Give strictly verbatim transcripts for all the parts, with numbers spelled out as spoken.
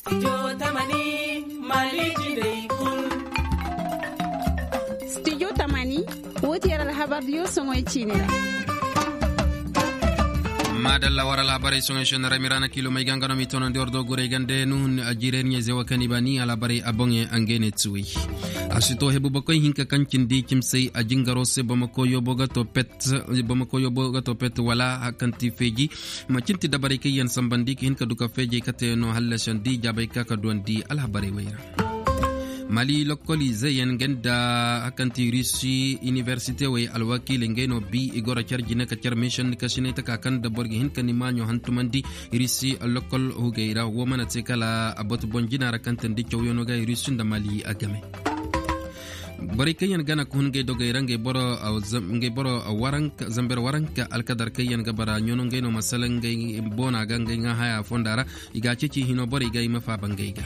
Studio tamani, wo ti yer alhabar diyo soŋoy ciini ra. Maadalla war alhabarey soŋoy senni ra miraana kiilomey ga nga no m'i toonandi war dooguray gande nuhun. Jiirey ɲayze wo kaŋ i ba ni alhabarey a boŋey a ngey ne tuwey. A si to hebu bakoy hinka kaŋ cindi cimsey a jingaro se bamako yoobo ga to pet. Bamako yoobo ga to pet wala hakanti feeji. Mancinti dabarey kaŋ yaŋ sambandi ka hin ka du ka feejey kate no hallasandi jaabey ka ka duwandi alhabarey wey ra. Mali lokkoliizeyaŋ nga nda hakanti rusi iniversite wey alwakiiley ngey no bi i goro car jine ka car miisanni kasinay taka kaŋ nda boro ga hin ka ni maaɲo hantumandi. Rusi lokkol hugey ra wo mana te kala a batu boŋ jina ra kaŋ tandi cawyaŋo ga rusi nda mali a game. Borey kaŋ yaŋ gana ka hun ngey dogey ra ngey boro zamber waranka alkadar kaŋ yaŋ ga bara ɲono ngey no masala ngey boona ga ngey ŋaa haya fonda ra. I ga a ceeci hino borey ga i ma faaba ngey ga.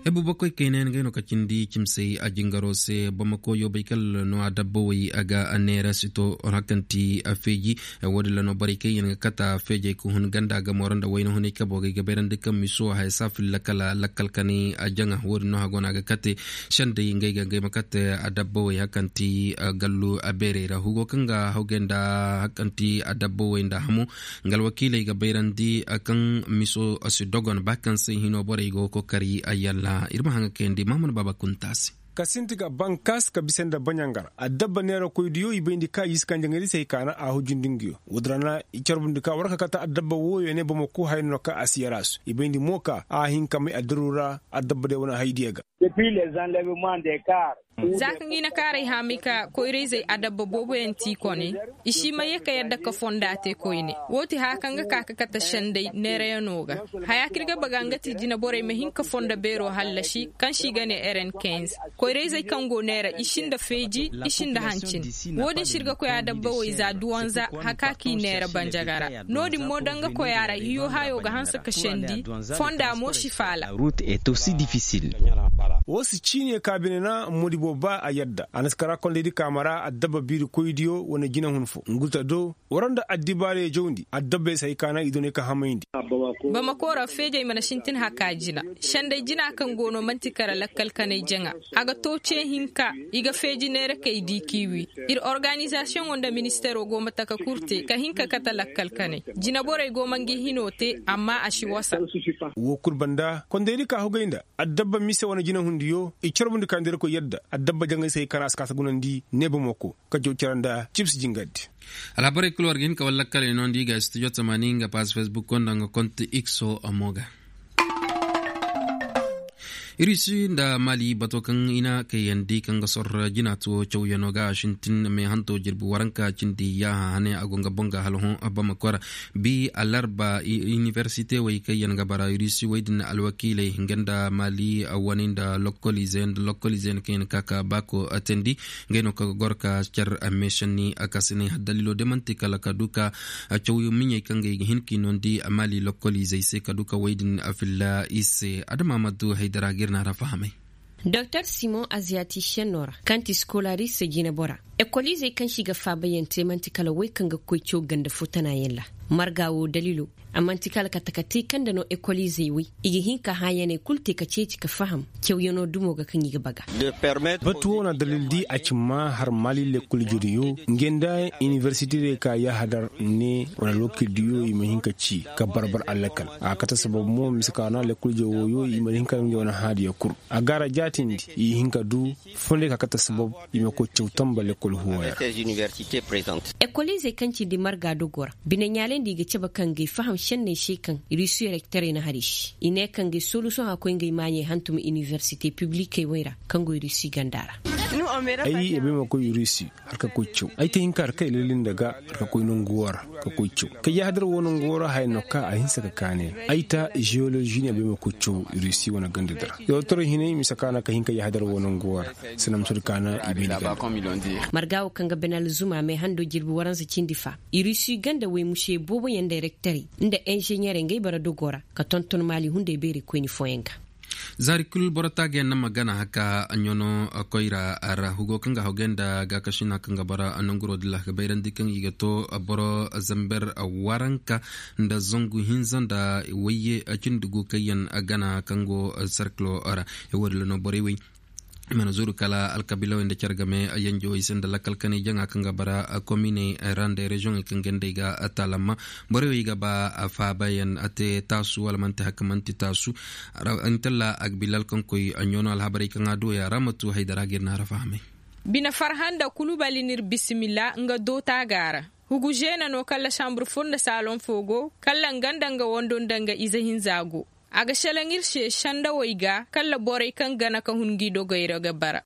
Hebu bakoy kayna yaŋ ngey no ka cindi cimsey a jingaro se bamako yoobay kala no a dabbawey a ga a neera sito hakanti a feeji. Wo-din ra no borey kaŋ yaŋ ga kata feejey ka hun ganda ga moro nda wayna hunay kabo ga ay ga bayrandi kaŋ miso haya saafilla kala lakkal kanay a jaŋa wo-din no hago no a ga kate. Sendey ngey ga ngey ma kate a dabbawey hakanti gallu a beerey ra hugo kaŋ ga hawgay nda hakanti a dabbawey nda hamo. Nga alwakiiley ga bayrandi kaŋ miso si dogon ba kaŋ se hino borey go kokari a yalla ir ma haŋa kayandi mahaman baaba kunta se. Ka sinti ga bankas ka bisa nda baɲangara a dabba neera koy diyo i bayndi ka i si kaŋ jaŋay di se i kaana a hujindi nga yo. Wudurana i carbundi ka war ka kata a dabba wooyo ne bamako haya no ka a si yara su i bayndi mo ka a hin ka may a diru ra a dabba day wane hay diya ga. Za kaŋ i na kaaray haamay ka koyra-izey adabba booboyaŋ ti i kone. I si ma ye ka yadda ka fonda te koyne. Wo ti haya kaŋ ga ka ka kate sendey neerayaŋo ga. Haya kaŋ ir ga baga nga ti jinaborey ma hin ka fonda beero hallasi kaŋ se i ga ne eren kenz. Koyra-izey kaŋ go neera i sinda feeji i sinda hancin. Wo-din se ir ga koy adabba wo i za duwanza haka k'i neera banjaga ra. No-din mo da nga koy a ra hiyo hayo ga hanse ka sendi. Fonda mo si faala. Wo si ciine ka bine na modibo ba a yadda a na si kara kondaydi kaama ra addabba biiri koydiyo wane jinahun fo nguta do. Wara nda addibaarey jawndi addabbey si hay ka naŋ i doonay ka hamayndi. Bamako ra feejey mana sintin haka jina. Sendey jina kaŋ go no man'ti kara lakkal kanay jaŋa. A ga to ce hinka. I ga feeji neerakey di k'i wi. Ir organizasiyoŋo nda ministeero go ma taka kul te ka hin ka kate lakkal kanay. Jinaborey go ma ngi hino te amma a si wasa. Woo kul banda kondaydi ka hugay nda addabba mise wane jinahundiyo i carbundi ka ndeerkoy yadda addabba jaŋay se hay ka naŋ a si ka si gunandi ne bamako. Ka jaw cara nda cibsi jingardi. Alhabarey kul war ga hin ka wala lakkaley no nda i ga studio tamaani nga paas facebook nda nga konti ikso a mo ga. Irisi nda mali bato kaŋ i na kayandi kaŋ ga sor jina tuwo cawyaŋo ga a sintin meehanto jirbi waranka cindi yaaha hane a go nga boŋ ga hala hõ bamako ra. Bi alarba iniversite wey kaŋ yaŋ ga bara irisi wey din alwakiiley nga nda mali wane nda lokkolize nda lokkolize kaŋ yaŋ ka ka baako teendi. Ngey no kaŋ ga goro ka car meesanni a ka si ne daliilo de man'ti kala ka du ka caw miɲey kaŋ ga i ga hin k'i noondi mali lokkoliizey se ka du ka wey din filla i se adama ma du haydara ga ir na ra fahamay. Doktor simon aziyati senno ra kaŋ ti skolaris jinebora. Ekoliizey kaŋ se i ga faabayaŋ te man'ti kala wey kaŋ ga koy caw ganda fo tanayaŋ ra. Marga wo daliilo a man'ti kala ka taka te kaŋ nda no ekoliizey wey i ga hin ka hãyaney kul te ka ceeci ka faham. Cawyaŋo dumo ga kaŋ i ga baga. Batu wo na dalil di a ci ma har mali lekkol jodiyo nga nda iniversite dey ka yahadar ne wala lokil diyo i ma hin ka ci ka barbar alakal a kate sabab mo mise ka na lekkol jodiyo i ma hin ka nga wane haadiya kul. A gaara jaatindi i hin ka du fonde ka kate sabab i ma koy caw tamba lekkol huwaya. Ekoliizey kaŋ cindi marga dogo ra bine ɲaalay nda i ga cabe kaŋ ga ay faham senney se kaŋ rusi rekterey na har i se i ne kaŋ ga ay solusoŋ a koy nga ay maaɲey hantum iniversite piblikey wey ra kaŋ go rusi ganda ra. Ay ya bay ma koy rusi har ka koy caw ay ta hin ka har kay lallin daga har ka koy nangu wo ra ka koy caw. Kay ya hadar wo nangu wo ra haya no ka a hinsa ka kaane ay ta geolozi ne bay ma koy caw rusi wane ganda dira. Yawtaray hinay mise ka na ka hin ka ya hadar wo nangu wo ra. Sina ma sodi ka na i bay ni ganda. Marga wo kaŋ ga bene alzuma meehando jirbi waransa cindi fa. Irusi ganda wey muse booboyaŋ nda rektarey nda inženyerey ngey bara dogo ra ka tonton maali hunday beerey koyni fooyaŋ ga. Zaari kul boro taagayaŋ na ma gana haka ɲono koyra ra hugo kaŋ ga hawgay nda gaakasina kaŋ ga bara nanguro dilla ga bayrandi kaŋ i ga to boro zamber waranka nda zangu hinza nda wayye cindi gu kaŋ yaŋ gana kaŋ go serkilo ra. Wo- din ra no borey wey i mana zuru kala alkabiilawey nda care game yanjawey se nda lakkal kanay jaŋa kaŋ ga bara kominey ra nda reziyoŋey kaŋ gandey ga taalamma. Borey wey ga ba faabayaŋ a te taasu wala manti haka manti taasu. Intalla agbilal kaŋ koy ɲono alhabarey kaŋ a duwey a ra ma tu haydara ga ir na a ra fahamay. Bine farhanda kulubali n'ir bisimila nga doota ga a ra. Hugu žeena no kala sambur fur nda saalon fo go kala nga nda nga wando nda nga ize hinza go. A ga šelaŋ ir se sendawey ga kala borey kaŋ gana ka hun ngi dogey ra ga bara.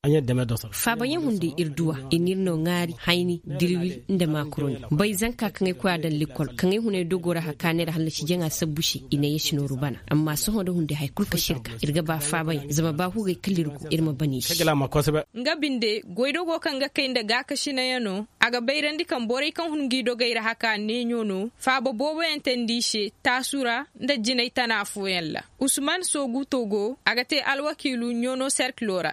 Faabayaŋ hunday ir duw'a i n'ir no ŋaari hayni dirwil nda maakuroni. Bay zanka kaŋ ay koy a daŋ likol kaŋ ay hunay dogo ra hakaanay ra hallasi jaŋa sabbu se i na yeesi nooru bana. Amma sohõ nda hunday haya kul ka sirka ir ga ba faabayaŋ zama ba hugey kala ir go ir ma bana i se. Nga binde goydogo kaŋ ga kay nda gaakasinayaŋo a ga bayrandi kaŋ borey kaŋ hun ngi dogey ra haka neeɲo no faaba booboyaŋ teendi i se taasu ra nda jinay tana fooyaŋ ra. Usman soogu togo a ga te alwakiilu ɲono serkilo ra.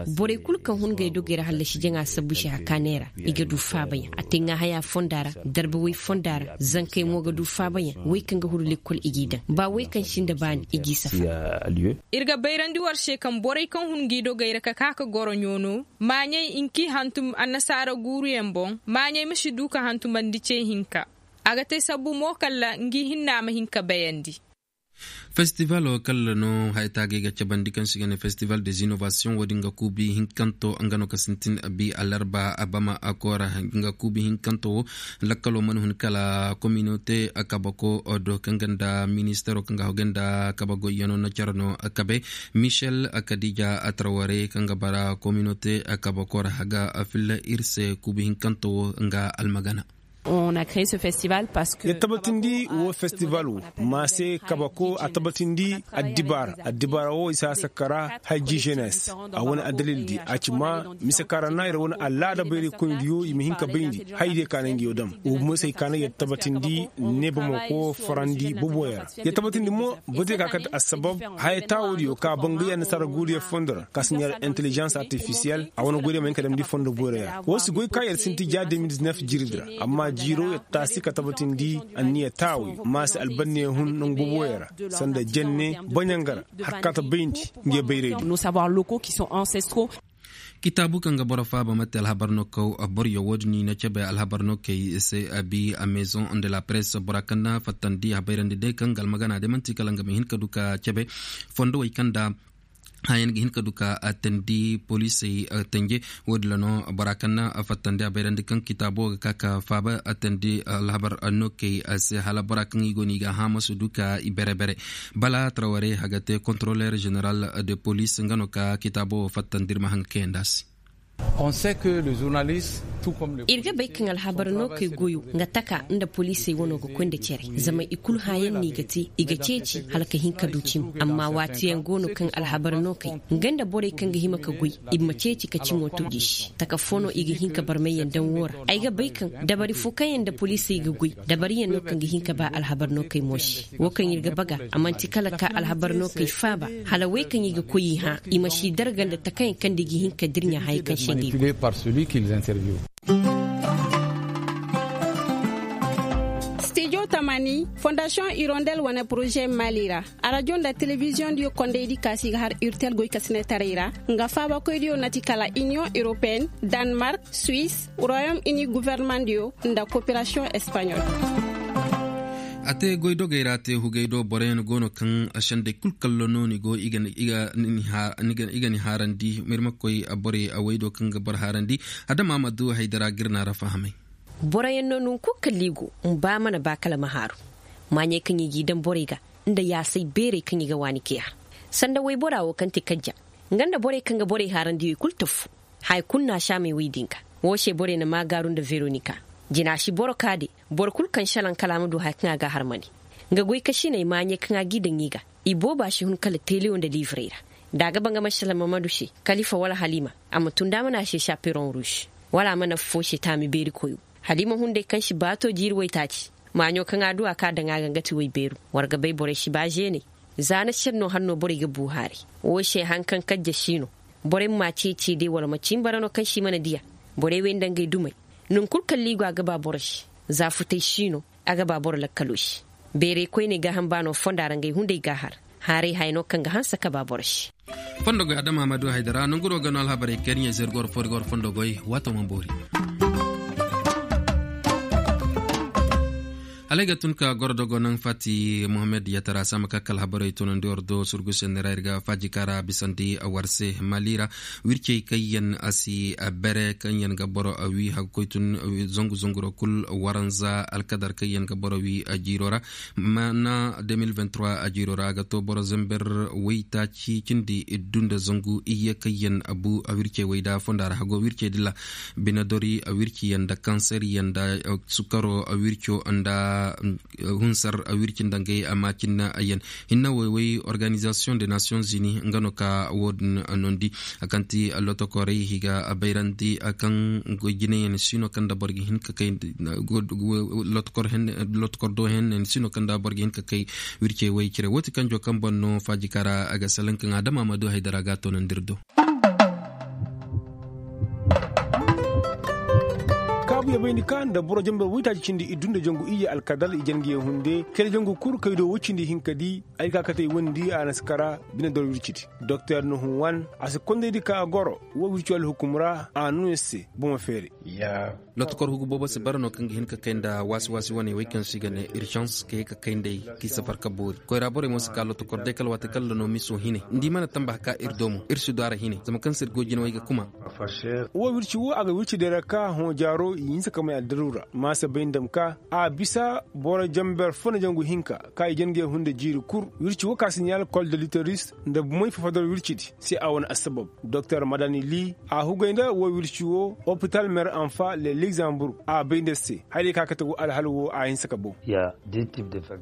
Borey kulu kaŋ hun ngey dogey ra hallasi jaŋa sabbu se hakaanay ra i ga du faabayaŋ a te ŋaahaya fonda ra darba way fonda ra zankey mo ga du faabayaŋ way kaŋ ga huru lekkol i g'i daŋ ba way kaŋ sinda baani i g'i safa. Ir ga bayrandi war se kaŋ borey kaŋ hun ngi dogey ra ka ka ka goro ɲono maaɲey nki hantum annasaara guuruyaŋ boŋ maaɲey ma si du ka hantumandi ce hinka. A ga te sabbu mo kala ngi hinna ma hin ka bayandi. Festivalo kala no haya taagay ga cabandi kaŋ se i ga ne festival des innovation wo- din ga kuubi hinkanto nga no ka sintin bi alarba abama koora nga kuubi hinkanto wo. Lakkalo mana hun kala kominote kabako do kaŋ ga nda ministero kaŋ ga hogay nda kaba goyyano na care no kabe michel kadija traware kaŋ ga bara kominote kabako ra haga filla ir se kuubi hinkanto wo nga almagana. Ya tabbatindi wo festival wo ma se kabako a tabbatindi addibaara addibaara wo i si a sakara hajji jenes a wane addalil di a ci ma mise kaŋ ra na ir wane alaada bayray koyndi yo i ma hin ka bayndi haydiyo ka na nga yo dam wo bumo se ay ka na ya tabbatindi ne bamako farandi boboyo ra ya tabbatindi mo bate ka kate assabab haya taawodiyo ka bangay annasaara guuriyo fondo ra ka si ɲaar intelligence artificiel a wane goydiyo ma hin ka damndi fondo boyra ya wo si goy ka yer sinti ja deux mille dix-neuf jirbi ra amma jiiro yer taasi ka tabbatindi anniya taawi ma si albanniya hun nangu boboyo ra sanda jenne baɲanga ra har ka ta bayndi nga bayray di. Kitaabu kaŋ ga boro faaba mate alhabar no kaw boryo wo- din i na cabe alhabar no kay se abi a maison de la presse bora kaŋ na fattandi a bayrandi day kaŋ ga almagana day manti kala nga ma hin ka du ka cabe fondo wey kaŋ da hayan ga hin ka du ka tandi poliisey tanje. Wo- din ra no bora kaŋ na fattandi a bayrandi kaŋ kitaabo ga ka ka faaba tandi alhabar no kay se hala bora kaŋ i go no i ga hã ma si du ka i bere bere bala traware haga te contrôleur général de police nga no ka kitaabo wo fattandi ir ma haŋ ga kayandi a se. Ir ga bay kaŋ alhabar no kay goyo nga taka nda poliisey wano ga koy nda cere zama i kulu hãyaŋ no i ga te i ga ceeci hala ka hin ka du cimi amma waatiyaŋ go no kaŋ alhabar no kay nga nda borey kaŋ ga hima ka goy i ma ceeci ka cimo tuji se taka fo no i ga hin ka barmayyaŋ daŋ wo ra ay ga bay kaŋ dabari fo kaŋ yaŋ nda poliisey ga goy dabariyaŋ no kaŋ ga hin ka ba alhabar no kay mo se wo kaŋ ir ga baga a manti kala ka alhabar no kay faaba hala wey kaŋ i ga koy i hã i ma si darga nda takayaŋ kaŋ nda i ga hin ka dirɲa haya kaŋ se nga i go. Stijo tamani fondasiyoŋ irondel wane poroze mali ra arajo nda telebiziyoŋ diyo kondey di kaasi ga har urtel goy ka sinetaray ra nga faabakoy diyo nati kala iniyoŋ europeen, danmark, suisse, royaume uni guvernement diyo nda koperasiyoŋ espaɲol. A te goydogey ra te hugey do boroyaŋ go no kaŋ sendey kul kallo no ni go i ga ni haarandi mirmakoy borey a waydo kaŋ ga boro haarandi. Adama ma du haydara ga ir na ra fahamay. Boroyaŋ no nunkun kalli go mba mana ba kala ma haaru maaɲey kaŋ i g'i daŋ borey ga nda yaasay beerey kaŋ i ga waani kay har sanda waybora wo kaŋ te kajja nga nda borey kaŋ ga borey haarandi wey kul tafu. Haya kulu na a saamey wey din ga wo se borey na maagaaru nda veronika jina si boro ka de boro kulu kaŋ salaŋ kala a ma du haya kaŋ a ga a harmandi nga goykasiney maaɲey kaŋ a g'i daŋ i ga i booba si hun kala telewo nda liivrey ra. Da a ga ba nga ma salaŋ mamadu se kalifa wala halima a ma tun da a ma ne a se saperoŋ ruus wala a ma nafa fo se taami beeri koyo. Halima hunday kaŋ si baato jiiri waytaaci maaɲo kaŋ a du a ka daŋ a ga nga ti waybeeru. War ga bay borey si ba zeeney. Za na sennoo hannoo borey ga buu haaray. Woo se haŋ kaŋ kajja si no. Borey ma ceecee day wala ma cin bara no kaŋ si mana diya. Borey wey nda ngey dumey. Naŋ kul kaŋ liigo a ga ba boro se. Za futey si no. A ga ba boro lakkaloo se. Beeray koyney gaaham baanoo fonda ra ngey hunday ga a har. Haaray haya no kaŋ ga hanse ka ba boro se. Fondo goy adama ma du haydara nanguroo ga no alhabarey kay ni ɲey zay ir go war fondo goy. Waatoo ma boori. Hala ay ga tun ka goro dogo naŋ fati mohammed yatara saama ka kala habarey tunandi war do surgu senni ra ir ga faaji ka ra bisandi war se mali ra. Wircey kaŋ yaŋ a si bere kaŋ yaŋ ga boro wii haga koy tun zangu zangu ra kul waranza alkadar kaŋ yaŋ ga boro wii jiiro ra. Mana de mil vingt trois jiiro ra a ga to boro zamber waytaaci cindi iddu nda zangu iyye kaŋ yaŋ a bu wircey way nda fonda ra hago wircey dilla. Binadori wirci yaŋ nda kanser yaŋ nda sukaro wirco nda hunsar wirci nda ngey a maacin yaŋ. Hinna woy woy organizasiyoŋ de nasiyoŋ zini nga no ka wo- din nondi. A kaŋ ti lotokorey i ga bayrandi kaŋ goy jinayaŋ si no kaŋ nda boro ga hin ka kay lotokor do hen si no kaŋ nda boro ga hin ka kay. Wircey woy cire wo ti kanjo kaŋ boŋ no faaji ka ra a ga salaŋ kaŋ adama ma du haydara ga a toonandi ir do. Kaabu ya bayndi ka nda boro jambar waytaaci cindi iddu nda jangu iyye alkadal i jangiyaŋ hunde kere jangu kul kay do woy cindi hinka di. Ay ka katey wondi a na si kara bine doro wircidi. Doktor nuhun wan a si kondaydi ka a goro wo wirci alhukum ra a nuna se bomo feere. Lotokor hugu boobo si bara no kaŋ ga hin ka kay nda waasi waasi wane wey kaŋ se i ga ne irzans ka ye ka kay nd'ey k'i safar ka boori koyra borey mo si ka lotokor day kala waati kala nda no miso hine nda i mana tamba ka ir do mo ir si du a ra hine zama kaŋ se ir go jina wey ga kuma. Wo wirci wo a ga wirci day ra ka hõ jaaro i hinsa ka may addaru ra maasa bay ndam ka a bisa boro jamber fo na jangu hinka ka i jange hunde jiiri kul. Wirci wo ka siɲal kol de literis nda bumey fafadar wircidi se a wane assabab. Doktor madani li a hugay nda wo wirci wo opital mer anfa le ligzambur a bay nda se haray ka kate wo alhal wo a hinsa ka bow.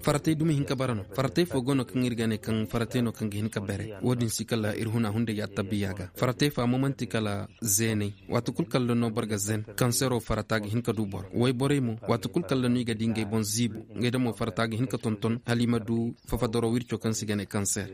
Faratey dumi hin ka bara no faratey fo go no kaŋ ir ga ne kaŋ faratey no kaŋ ga hin ka bere wo-din si kala ir huna hunday attabiya ga faratey fo amma man'ti kala zeeney. Waati kul kala no boro ga zen kansero farata ga hin ka du boro wayborey mo waati kul kala no i ga di ngey boŋ ziibu ngey damo farata ga hin ka tonton hala i ma du fafadaro wirco kaŋ se i ga ne kanser.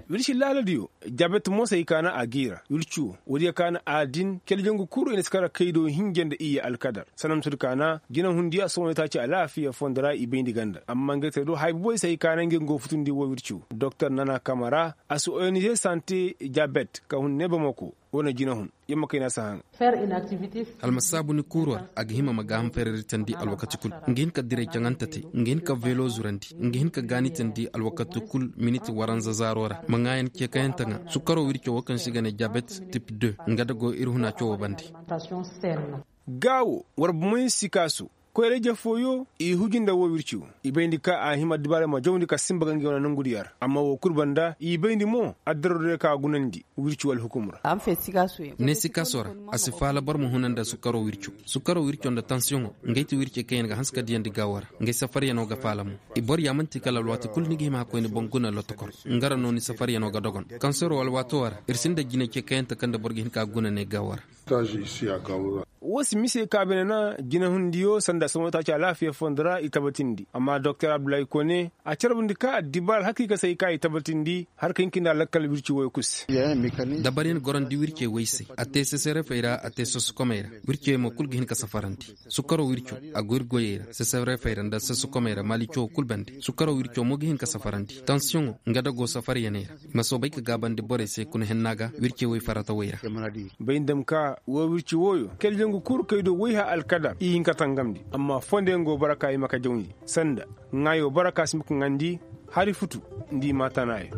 Wirci laaladiyo jabet mo se i kaana a giira wirci wo woodiyo kaana a din kele jangu kul i na si kara kaydo hinja nda iyye alkadar sanamtudi kaana jinahundiyo a sohõ itaaci alaafiya fondo ra i bayndi ganda amma ngey te do haya buboy se i kaana ngey go futundi wo wirci wo doktor nana kamara a si onize sante jabet ka hun ne bamako. Wane jinahun yamma kayna si haŋ. Almasaabu ni kuuru war a ga hima ma gaaham fereritandi alwakati kul nga hin ka diray caŋante te nga hin ka velo zurandi nga hin ka gaanitandi alwakati kul miniti waranza zaaro ra ma ŋaayan ceekayante ŋa sukaro wirco wo kaŋ se i ga ne jabet tip deux nga da go ir huna cawoo bande. Gaa wo war bumey si kaasu koyra-ije fooyo i huji nda woo wirci wo i bayndi ka a hima addibaarey ma jawndi ka sinba ga ngey wane nongudiyo ra amma woo kul banda i bayndi mo addaroo diyo ka gunandi wirci wo alhukum ra. Ne sikaasoo ra a si faala boro ma huna nda sukaroo wirco sukaroo wirco nda tansiyoŋo ngey ti wircey kaŋ yaŋ ga hanse ka diyandi gaawoo ra ngey safaryanoo ga faala mo. I boro yaamanti kala alwaati kul ni ga hima ka koy ni boŋ guna lotokor nga ra no ni safaryanoo ga dogon kanseroo alwaatoo ra ir sinda jinacey kayante kaŋ nda boro ga hin ka guna ne gaawoo ra. Woo si mise ka bine na jinahundiyo sanda sohõ taaci alaafiya fondo ra i tabatindi amma doktor abdullahi kone a carbundi ka addibaara alhakiika se i ka i tabatindi har ka hin ka nda lakkal wirci woy kul se. Dabaryan gorandi wircey woy se a te sesarefey ra a te sosokomey ra. Wircey mo kul ga hin ka safarandi sukaroo wirco a go ir goyey ra sesarefey ra nda sosokomey ra maali cawoo kul bande sukaroo wirco mo ga hin ka safarandi tansiyoŋo nga da go safaryaney ra. Ma soobay ka gaabandi borey se kuna henna ga wircey woy faratawey ra. Bay ndam ka woo wirci wooyo kala jangu kul kay do woy hã alkadar i hin ka tangamndi amma fondeyaŋ go bara ka i ma ka jawndi sanda ŋaayo bara ka si ma ka ŋaandi hari futu nda i ma tanaayo.